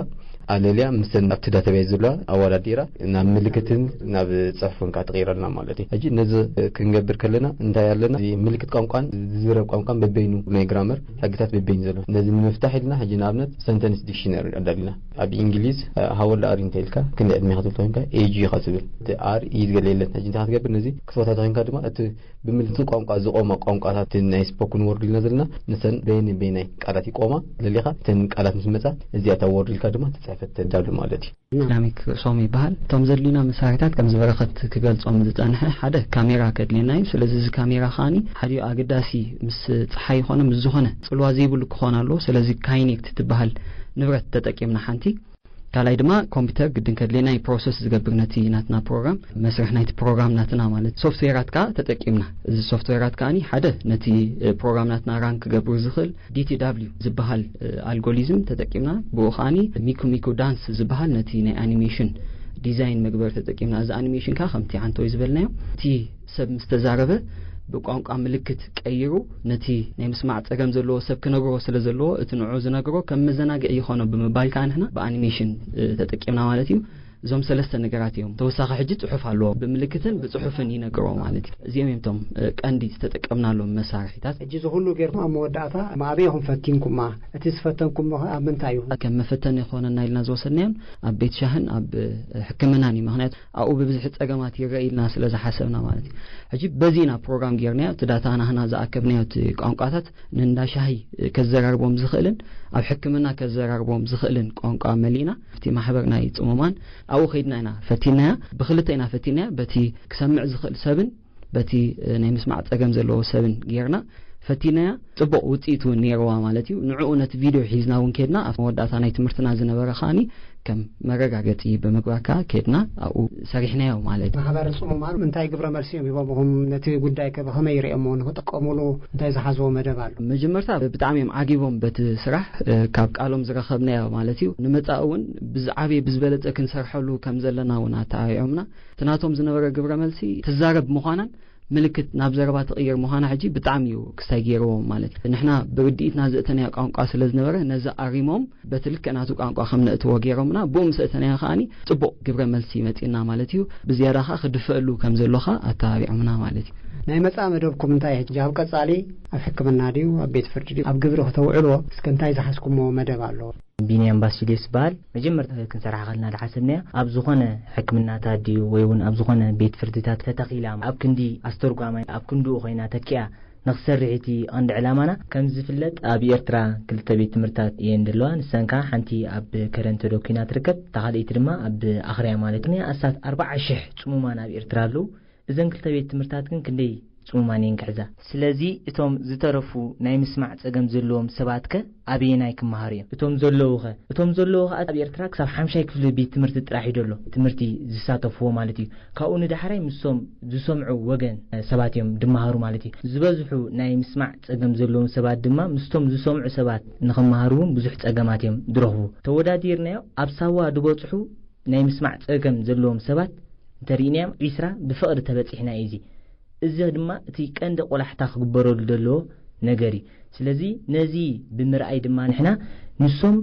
ኣለልያ ምስ ኣብቲ ዳታቤዝ ዘለዋ ኣወዳዲራ ናብ ምልክትን ናብ ጽሑፍን ከኣ ትቕይረልና ማለት እዩ። ሕጂ ነዚ ክንገብር ከለና እንታይ ኣለና? እዚ ምልክት ቋንቋን ዝዝረብ ቋንቋን በበይኑ ናይ ግራመር ሕግታት በበይኑ ዘሎ። ነዚ ንምፍታሕ ኢልና ሕጂ ንኣብነት ሰንተንስ ዲክሽነሪ ኣዳሊና። ኣብ እንግሊዝ፣ እ፣ ሃው ኦልድ ኣር ዩ እንተ ኢልካ፣ ክንደይ ዕድሜኻ ትብል ተኾይንካ፣ ኤጅ ኢኻ ትብል። እቲ ኣር ዩ ዝገለ የለን። ሕጂ እንታይ ክትገብር፣ ነዚ ክትፈታቶ ኮይንካ ድማ፣ እቲ ብምልክት ቋንቋ ዝቖማ ቋንቋታት፣ ናይ ስፖክን ወርድ ኢልና ዘለና፣ ንሰን በየን በየናይ ቃላት ይቆማ ለሊኻ፣ እተን ቃላት ምስ መጻ፣ እዚኣ እታ ወርድ ኢልካ ድማ ትጽሕፍ። ተዳሉ ማለት እዩ። ኢስላሚክ ሶም ይበሃል። እቶም ዘድልዩና መሳርሒታት ከም ዝበረኸት ክገልጾም ዝጸንሐ ሓደ ካሜራ ከድልየና እዩ። ስለዚ እዚ ካሜራ ከዓኒ ሓደ ኣገዳሲ ምስ ጸሓይ ይኾነ ምስ ዝኾነ ጽልዋ ዘይብሉ ክኾን ኣለዎ። ስለዚ ካይኔክት ትበሃል ንብረት ተጠቂምና ሓንቲ ካልኣይ ድማ ኮምፒውተር ግድን ከድልየና እዩ ፕሮሰስ ዝገብር ነቲ ናትና ፕሮግራም መስርሕ ናይቲ ፕሮግራም ናትና ማለት ሶፍትዌራት ከዓ ተጠቂምና። እዚ ሶፍትዌራት ከዓኒ ሓደ ነቲ ፕሮግራም ናትና ራን ክገብሩ ዝኽእል ዲቲ ዳብሊው ዝበሃል ኣልጎሪዝም ተጠቂምና ብኡ ከዓኒ ሚኩ ሚኩ ዳንስ ዝበሃል ነቲ ናይ ኣኒሜሽን ዲዛይን መግበር ተጠቂምና። እዚ ኣኒሜሽን ከዓ ከምቲ ዓንተወይ ዝበልናዮ እቲ ሰብ ምስ ተዛረበ ብቋንቋ ምልክት ቀይሩ ነቲ ናይ ምስማዕ ጸገም ዘለዎ ሰብ ክነግሮ ስለ ዘለዎ እቲ ንዑ ዝነግሮ ከም መዘናግዒ ይኾኖ ብምባል ከዓ ንሕና ብኣኒሜሽን ተጠቂምና ማለት እዩ። እዞም ሰለስተ ነገራት እዮም። ተወሳኺ ሕጂ ጽሑፍ ኣለዎ ብምልክትን ብጽሑፍን ይነግሮ ማለት እዩ። እዚኦም እዮም እቶም ቀንዲ ዝተጠቀምናሎም መሳርሒታት። ሕጂ ዝኹሉ ጌርኩም ኣብ መወዳእታ ኣበይ ኢኹም ፈቲንኩማ? እቲ ዝፈተንኩሞ ኣብ ምንታይ እዩ? ከም መፈተን ይኾነና ኢልና ዝወሰድናዮም ኣብ ቤት ሻህን ኣብ ሕክምናን እዩ። ምክንያቱ ኣብኡ ብብዝሒ ጸገማት ይረአ ኢልና ስለ ዝሓሰብና ማለት እዩ። ሕጂ በዚ ኢና ፕሮግራም ጌርናዮ። እቲ ዳታ ናህና ዝኣከብናዮ እቲ ቋንቋታት ንእንዳ ሻሂ ከዘራርቦም ዝኽእልን ኣብ ሕክምና ከዘራርቦም ዝኽእልን ቋንቋ መሊእና ኣብቲ ማሕበር ናይ ጽሙማን ኣብኡ ከይድና ኢና ፈቲናያ። ብክልተ ኢና ፈቲናያ። በቲ ክሰምዕ ዝኽእል ሰብን በቲ ናይ ምስማዕ ጸገም ዘለዎ ሰብን ጌርና ፈቲናያ። ጽቡቕ ውጽኢት እውን ነይርዋ ማለት እዩ። ንዕኡ ነቲ ቪድዮ ሒዝና እውን ከድና ኣብ መወዳእታ ናይ ትምህርትና ዝነበረ ከዓኒ ከም መረጋገጺ ብምግባር ከዓ ከድና ኣብኡ ሰሪሕናዮ ማለት እዩ። ማሕበር ጽሙማን እንታይ ግብረ መልሲ እዮም ሂቦምኹም? ነቲ ጉዳይ ከ ብኸመይ ይርእየሞ ንክጥቀሙሉ እንታይ ዝሓዝዎ መደብ ኣሎ? መጀመርታ ብጣዕሚ እዮም ዓጊቦም በቲ ስራሕ ካብ ቃሎም ዝረኸብናዮ ማለት እዩ። ንመጻኢ እውን ብዝዓበየ ብዝበለጸ ክንሰርሐሉ ከም ዘለና እውን ኣተዓቢዖምና። እቲ ናቶም ዝነበረ ግብረ መልሲ ትዛረብ ምዃናን ምልክት ናብ ዘረባ ትቕይር ምዃና ሕጂ ብጣዕሚ እዩ ክስታይ ገይርዎም ማለት እዩ። ንሕና ብርድኢትና ዘእተናዮ ቋንቋ ስለ ዝነበረ ነዚ ኣሪሞም በቲ ልክዕ ናቱ ቋንቋ ከም ነእትዎ ገይሮምና ብኡ ምስ እተናዮ ከዓኒ ጽቡቕ ግብረ መልሲ መጺእና ማለት እዩ። ብዝያዳ ከዓ ክድፈእሉ ከም ዘሎኻ ኣተባቢዖምና ማለት እዩ። ናይ መጻኢ መደብኩም እንታይ ሕጂ ኣብ ቀጻሊ ኣብ ሕክምና ድዩ ኣብ ቤት ፍርዲ ድዩ ኣብ ግብሪ ክተውዕልዎ እስከ እንታይ ዝሓዝኩሞ መደብ ኣሎ? ቢንያም ባሲልዮስ ዝበሃል መጀመርታ ክንሰርሓ ከልና ዝሓሰብናዮ ኣብ ዝኾነ ሕክምናታት ድዩ ወይ እውን ኣብ ዝኾነ ቤት ፍርድታት ተተኺላ ኣብ ክንዲ ኣስተርጓማይ ኣብ ክንድኡ ኮይና ተኪኣ ንክሰርሕ እቲ ቀንዲ ዕላማና። ከም ዝፍለጥ ኣብ ኤርትራ ክልተ ቤት ትምህርታት እየን ዘለዋ። ንሰን ከዓ ሓንቲ ኣብ ከረን ተደኪና ትርከብ፣ እታ ካልኣይቲ ድማ ኣብ ኣኽርያ ማለት እዩ። ኣስታት ኣርባዓ ሽሕ ጽሙማን ኣብ ኤርትራ ኣለዉ። እዘን ክልተ ቤት ትምህርታት ግን ክንደይ ጽሙማን እየን ክሕዛ? ስለዚ እቶም ዝተረፉ ናይ ምስማዕ ጸገም ዘለዎም ሰባትከ ኣበየናይ ክመሃሩ እዮም? እቶም ዘለዉኸ? እቶም ዘለዉ ከኣ ኣብ ኤርትራ ክሳብ ሓምሻይ ክፍሊ ቤት ትምህርቲ ጥራሕ እዩ ዘሎ ትምህርቲ ዝሳተፍዎ ማለት እዩ። ካብኡ ንዳሕራይ ምስቶም ዝሰምዑ ወገን ሰባት እዮም ድመሃሩ ማለት እዩ። ዝበዝሑ ናይ ምስማዕ ጸገም ዘለዎም ሰባት ድማ ምስቶም ዝሰምዑ ሰባት ንኽመሃሩ እውን ብዙሕ ጸገማት እዮም ዝረኽቡ። ተወዳዲርናዮ ኣብ ሳዋ ዝበጽሑ ናይ ምስማዕ ጸገም ዘለዎም ሰባት እንተሪእናዮም ዒስራ ብፍቕሪ ተበጺሕና እዩ። እዚ እዚ ድማ እቲ ቀንዲ ቆላሕታ ክግበረሉ ዘለዎ ነገር እዩ። ስለዚ ነዚ ብምርኣይ ድማ ንሕና ንሶም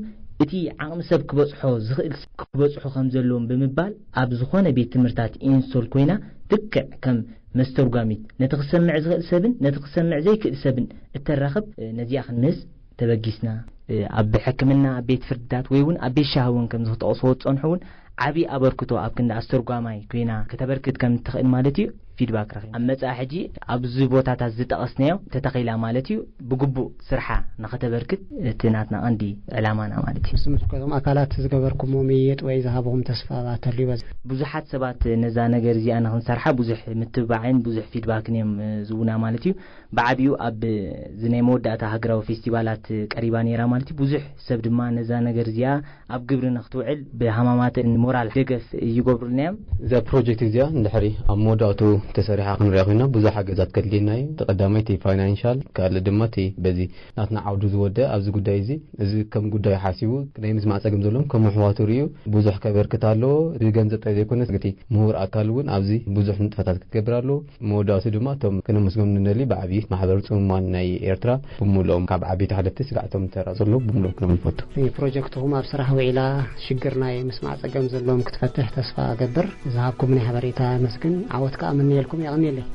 እቲ ዓቕሚ ሰብ ክበጽሖ ዝኽእል ክበጽሑ ከም ዘለዎም ብምባል ኣብ ዝኾነ ቤት ትምህርታት ኢንስቶል ኮይና ልክዕ ከም መስተርጓሚት ነቲ ክሰምዕ ዝኽእል ሰብን ነቲ ክሰምዕ ዘይክእል ሰብን እተራኽብ ነዚኣ ክንምስ ተበጊስና። ኣብ ሕክምና ኣብ ቤት ፍርድታት ወይ እውን ኣብ ቤት ሻሂ እውን ከም ዝክጠቕስዎ ዝጸንሑ እውን ዓብዪ ኣበርክቶ ኣብ ክንዲ ኣስተርጓማይ ኮይና ከተበርክት ከም እትኽእል ማለት እዩ። ፊድባክ ረኺብ ኣብ መጻኢ ሕጂ ኣብዚ ቦታታት ዝጠቐስናዮ ተተኺላ ማለት እዩ። ብግቡእ ስርሓ ንኸተበርክት እቲ ናትና ቀንዲ ዕላማና ማለት እዩ። ምስ ምልከቶም ኣካላት ዝገበርኩሞ ምይይጥ ወይ ዝሃብኹም ተስፋ ተልዩ በዚ ብዙሓት ሰባት ነዛ ነገር እዚኣ ንክንሰርሓ ብዙሕ ምትብባዕን ብዙሕ ፊድባክን እዮም ዝቡና ማለት እዩ። ብዓቢኡ ኣብ እዚ ናይ መወዳእታ ሃገራዊ ፌስቲቫላት ቀሪባ ነይራ ማለት እዩ። ብዙሕ ሰብ ድማ ነዛ ነገር እዚኣ ኣብ ግብሪ ንክትውዕል ብሃማማተን ሞራል ደገፍ ይገብሩልና እዮም። እዛ ፕሮጀክት እዚኣ እንድሕሪ ኣብ መወዳእቱ ተሰሪሓ ክንሪኣ ኮይና ብዙሕ ሓገዛት ከድልየና እዩ። እቲ ቀዳማይ እቲ ፋይናንሻል፣ ካልእ ድማ እቲ በዚ ናትና ዓውዱ ዝወደ ኣብዚ ጉዳይ እዚ እዚ ከም ጉዳይ ሓሲቡ ናይ ምስማዕ ጸገም ዘለዎም ከም ኣሕዋቱ ርእዩ ብዙሕ ከበርክት ኣለዎ። ብገንዘብ ጥራይ ዘይኮነስ እቲ ምሁር ኣካል እውን ኣብዚ ብዙሕ ንጥፈታት ክትገብር ኣለዎ። መወዳእቱ ድማ እቶም ክነመስግኖም ንደሊ ብዓብዪ ማሕበር ጽሙማን ናይ ኤርትራ ብምሉኦም ካብ ዓበይቲ ሓለፍቲ ስጋዕ እቶም ተራ ዘለዉ ብምሉኦም ክነመስግኖም ንፈቱ። ፕሮጀክትኹም ኣብ ስራሕ ውዒላ ሽግር ናይ ምስማዕ ጸገም ዘለዎም ክትፈትሕ ተስፋ እገብር። ዝሃብኩም ናይ ሓበሬታ መስግን ዓወት ከኣ ምንየልኩም። የቐንየለይ።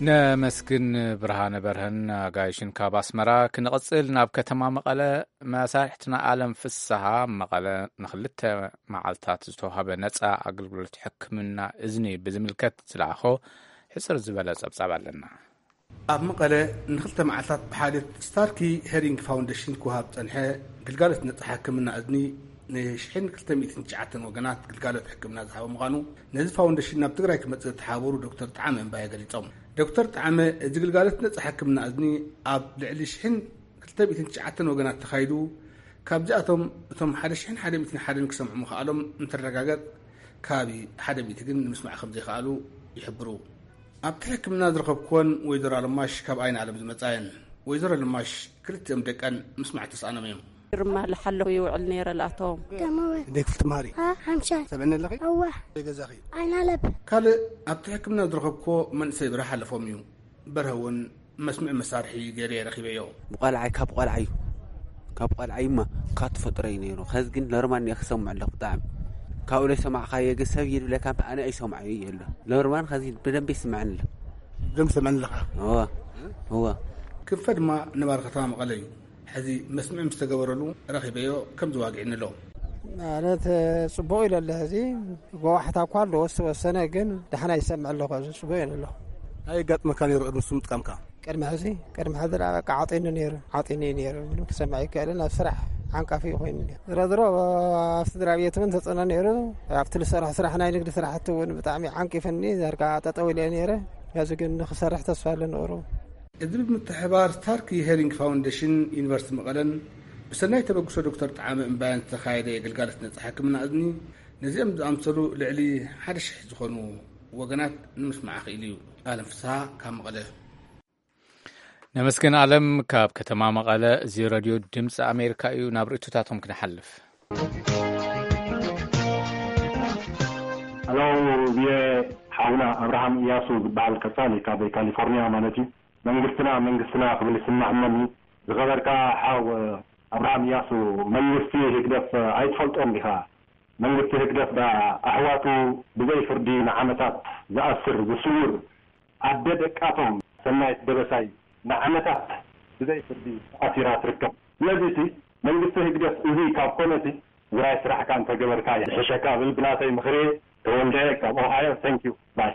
ነመስግን ብርሃነ በርሀን ኣጋይሽን ካብ ኣስመራ። ክንቕጽል ናብ ከተማ መቐለ። መሳርሕትና ኣለም ፍስሃ ኣብ መቐለ ንኽልተ መዓልታት ዝተዋህበ ነጻ ኣገልግሎት ሕክምና እዝኒ ብዝምልከት ዝለኣኾ ሕጽር ዝበለ ጸብጻብ ኣለና። ኣብ መቐለ ንኽልተ መዓልታት ብሓልዮት ስታርኪ ሄሪንግ ፋውንዴሽን ክወሃብ ዝጸንሐ ግልጋሎት ነጻ ሕክምና እዝኒ ንሽሕን ክልተ ሚእትን ትሽዓተን ወገናት ግልጋሎት ሕክምና ዝሃበ ምዃኑ ነዚ ፋውንዴሽን ናብ ትግራይ ክመጽእ ዝተሓባበሩ ዶክተር ጠዓመ እምባየ ገሊጾም። ዶክተር ጠዓመ፣ እዚ ግልጋሎት ነጻ ሕክምና እዝኒ ኣብ ልዕሊ ሽሕን ክልተ ሚእትን ትሽዓተን ወገናት ተኻይዱ፣ ካብዚኣቶም እቶም ሓደ ሽሕን ሓደ ሚእትን ሓደን ክሰምዑ ምኽኣሎም እንትረጋገጽ፣ ከባቢ ሓደ ሚእቲ ግን ንምስማዕ ከም ዘይከኣሉ ይሕብሩ። ኣብቲ ሕክምና ዝረኸብኩወን ወይዘሮ ኣለማሽ ካብ ኣይን ዓለም ዝመጻ እየን። ወይዘሮ ኣለማሽ ክልቲኦም ደቀን ምስማዕ ተስኣኖም እዮም። ግርማ ልሓለኹ ይውዕል ነይረ ልኣቶም። ከመወ እንዴት ክትማሪ? ሓምሻይ ሰብዕኒ ኣለኺ? እወ። ገዛኺ? ኣይናለብ። ካልእ ኣብቲ ሕክምና ዝረኸብኩዎ መንእሰይ ብራሕ ኣለፎም እዩ። በርሀ እውን መስምዒ መሳርሒ ገይረ ረኺበዮ። ብቆልዓይ፣ ካብ ቆልዓዩ፣ ካብ ቆልዓዩማ ካብ ተፈጥሮ እዩ ነይሩ። ከዚ ግን ኖርማል እየ ክሰምዕ ኣለኹ። ብጣዕሚ ካብኡ ለይሰማዕካዮ ግን ሰብ ይብለካ እምበር ኣነ ኣይሰምዓዮ እየ ኣሎ። ኖርማል ከዚ ብደንብ ይስምዐኒ ኣሎ። ብደንብ ሰምዐኒ ኣለኻ? እወ፣ እወ። ክንፈ ድማ ነባሪ ከተማ መቐለ እዩ። ሕዚ መስምዒ ምስ ተገበረሉ ረኺበዮ ከም ዝዋግዕኒ ኣሎ። ማለት ጽቡቕ ኢለ ኣለኹ። ሕዚ ጓዋሕታ እኳ ኣለዎ ዝተወሰነ፣ ግን ደሓና ይሰምዕ ኣለኹ። ሕዚ ጽቡቕ እየ ኣለኹ። እንታይ የጋጥመካ ነይሩ ቅድሚ እሱ ምጥቃምካ? ቅድሚ ሕዚ፣ ቅድሚ ሕዚ ደኣ በቃ ዓጢኒ ነይሩ፣ ዓጢኒ እዩ ነይሩ። ምንም ክሰምዕ ኣይከኣልን። ኣብ ስራሕ ዓንቃፊ እዩ ኮይኑ ነይሩ። ዝሮ ዝሮ ኣብቲ ስድራ ቤት እውን ተጽዕኖ ነይሩ። ኣብቲ ዝሰርሖ ስራሕ፣ ናይ ንግዲ ስራሕቲ እውን ብጣዕሚ ዓንቂፍኒ፣ ዘርጋ ጠጠው ኢለ ነይረ። ሕዚ ግን ንክሰርሕ ተስፋ ኣለኒ ቁሩብ። እዚ ብምትሕብባር ስታርኪ ሄሪንግ ፋውንዴሽን ዩኒቨርሲቲ መቐለን ብሰናይ ተበግሶ ዶክተር ጠዓመ እምባያን ዝተኻየደ ግልጋሎት ነጻ ሕክምና እዝኒ ነዚኦም ዝኣምሰሉ ልዕሊ ሓደ ሽሕ ዝኾኑ ወገናት ንምስማዕ ክኢሉ እዩ። ኣለም ፍስሃ ካብ መቐለ። ነመስግን ኣለም ካብ ከተማ መቐለ። እዚ ረድዮ ድምፂ ኣሜሪካ እዩ። ናብ ርእይቶታቶም ክንሓልፍ። ሄሎ፣ ቪኦኤ፣ ሓውና ኣብርሃም እያሱ ዝበሃል ቀጻሊ ካብ ካሊፎርኒያ ማለት እዩ። መንግስትና መንግስትና ክብል ይስማዕ እሞኒ። ዝኸበርካ ሓው ኣብርሃም እያሱ፣ መንግስቲ ህግደፍ ኣይትፈልጦን ዲኻ? መንግስቲ ህግደፍ ዳ ኣሕዋቱ ብዘይ ፍርዲ ንዓመታት ዝኣስር ዝስውር፣ ኣደ ደቃቶም ሰናይት ደበሳይ ንዓመታት ብዘይ ፍርዲ ተኣሲራ ትርከብ። ስለዚ እቲ መንግስቲ ህግደፍ እዚ ካብ ኮነ እቲ ትግራይ ስራሕካ እንተገበርካ ይሕሸካ ብል ብናተይ ምኽሪ። ተወልደ ካብ ኦሃዮ። Thank you. Bye.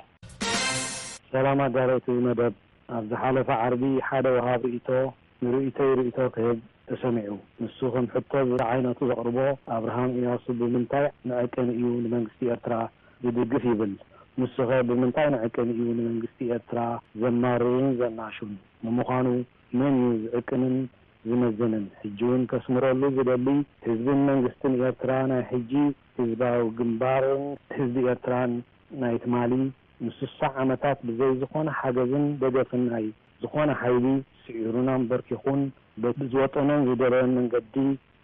ሰላም ኣዳለውቲ መደብ፣ ኣብ ዝሓለፈ ዓርቢ ሓደ ወሃብ ርእይቶ ንርእይቶይ ርእይቶ ክህብ ተሰሚዑ። ንሱ ከም ሕቶ ዝዓይነቱ ዘቕርቦ ኣብርሃም እያሱ ብምንታይ ንዕቅን እዩ ንመንግስቲ ኤርትራ ዝድግፍ ይብል። ንሱኸ ብምንታይ ንዕቅን እዩ ንመንግስቲ ኤርትራ ዘማርርን ዘናሹን? ንምዃኑ መን እዩ ዝዕቅንን ዝመዝንን? ሕጂ እውን ከስምረሉ ዝደሊ ህዝብን መንግስትን ኤርትራ ናይ ሕጂ ህዝባዊ ግንባርን ህዝቢ ኤርትራን ናይ ትማሊ ምስ ስሳ ዓመታት ብዘይ ዝኾነ ሓገዝን ደገፍን ናይ ዝኾነ ሓይሊ ስዒሩን ኣምበርኪኹን በቲ ዝወጠኖን ዝደለዮን መንገዲ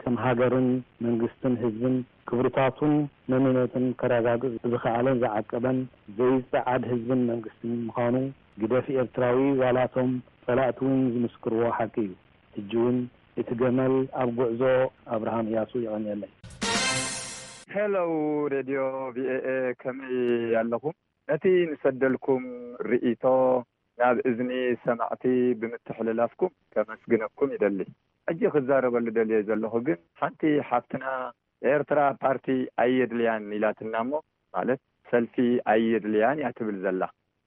ከም ሃገርን መንግስትን ህዝብን ክብርታቱን መንነቱን ከረጋግጽ ዝኸኣለን ዝዓቀበን ዘይጸዓድ ህዝብን መንግስትን ምዃኑ ግደፍ ኤርትራዊ ዋላቶም ጸላእቲ እውን ዝምስክርዎ ሓቂ እዩ። ሕጂ እውን እቲ ገመል ኣብ ጉዕዞ ኣብርሃም እያሱ የቐንየለይ። ሄሎ ሬድዮ ቪኦኤ ከመይ ኣለኹም? ነቲ ንሰደልኩም ርእይቶ ናብ እዝኒ ሰማዕቲ ብምትሕልላፍኩም ከመስግነኩም ይደሊ። ሕጂ ክዛረበሉ ደልየ ዘለኹ ግን ሓንቲ ሓፍትና ኤርትራ ፓርቲ ኣየድልያን ኢላትና እሞ ማለት ሰልፊ ኣየድልያን እያ ትብል ዘላ።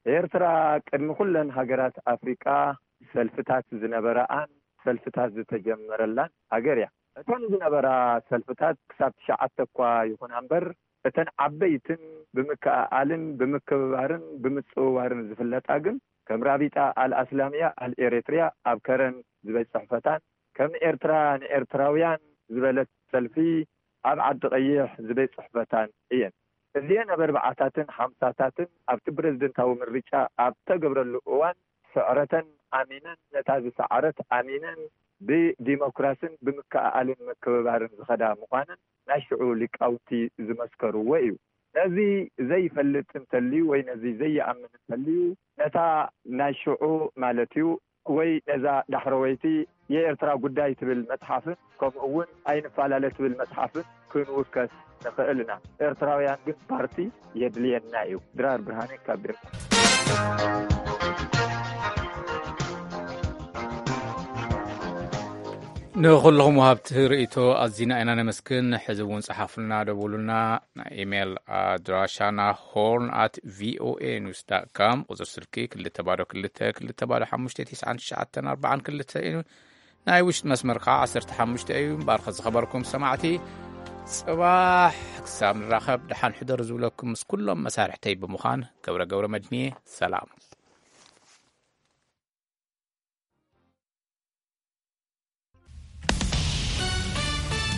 ኤርትራ ቅድሚ ኩለን ሃገራት ኣፍሪቃ ሰልፍታት ዝነበረኣን ሰልፍታት ዝተጀመረላን ሃገር እያ። እተን ዝነበራ ሰልፍታት ክሳብ ትሽዓተ እኳ ይኹና እምበር እተን ዓበይትን ብምክእኣልን ብምክብባርን ብምጽውዋርን ዝፍለጣ ግን ከም ራቢጣ ኣልኣስላምያ ኣልኤሬትርያ ኣብ ከረን ዝበይ ጽሕፈታን ከም ኤርትራ ንኤርትራውያን ዝበለት ሰልፊ ኣብ ዓዲ ቀይሕ ዝበይ ጽሕፈታን እየን። እዚአን ኣብ ኣርባዓታትን ሓምሳታትን ኣብቲ ፕረዚደንታዊ ምርጫ ኣብ ተገብረሉ እዋን ስዕረተን ኣሚነን ነታ ዝሰዓረት ኣሚነን ብዲሞክራስን ብምክእኣልን ምክብባርን ዝኸዳ ምዃነን ናይ ሽዑ ሊቃውንቲ ዝመስከርዎ እዩ። ነዚ ዘይፈልጥ እንተልዩ ወይ ነዚ ዘይኣምን እንተልዩ ነታ ናይ ሽዑ ማለት እዩ ወይ ነዛ ዳሕረወይቲ የኤርትራ ጉዳይ ትብል መጽሓፍን ከምኡ እውን ኣይንፈላለ ትብል መጽሓፍን ክንውከስ ንኽእል ኢና። ኤርትራውያን ግን ፓርቲ የድልየና እዩ። ድራር ብርሃነ ካብ ቤርካ። ንኹልኹም ወሃብቲ ርእይቶ ኣዚና ኢና ነመስግን። ሕዚ እውን ጸሓፉልና፣ ደውሉልና። ናይ ኢሜይል ኣድራሻና ሆርን ኣት ቪኦኤ ኒውስ ዳት ካም፣ ቁጽሪ ስልኪ ክልተ ባዶ ክልተ ክልተ ባዶ ሓሙሽተ ትሽዓን ትሽዓተን ኣርባዓን ክልተ እዩ። ናይ ውሽጢ መስመር ከዓ ዓሰርተ ሓሙሽተ እዩ። እምበኣር ዝኸበርኩም ሰማዕቲ፣ ጽባሕ ክሳብ ንራኸብ ደሓን ሕደሩ ዝብለኩም ምስ ኩሎም መሳርሕተይ ብምዃን ገብረ ገብረ መድንየ፣ ሰላም።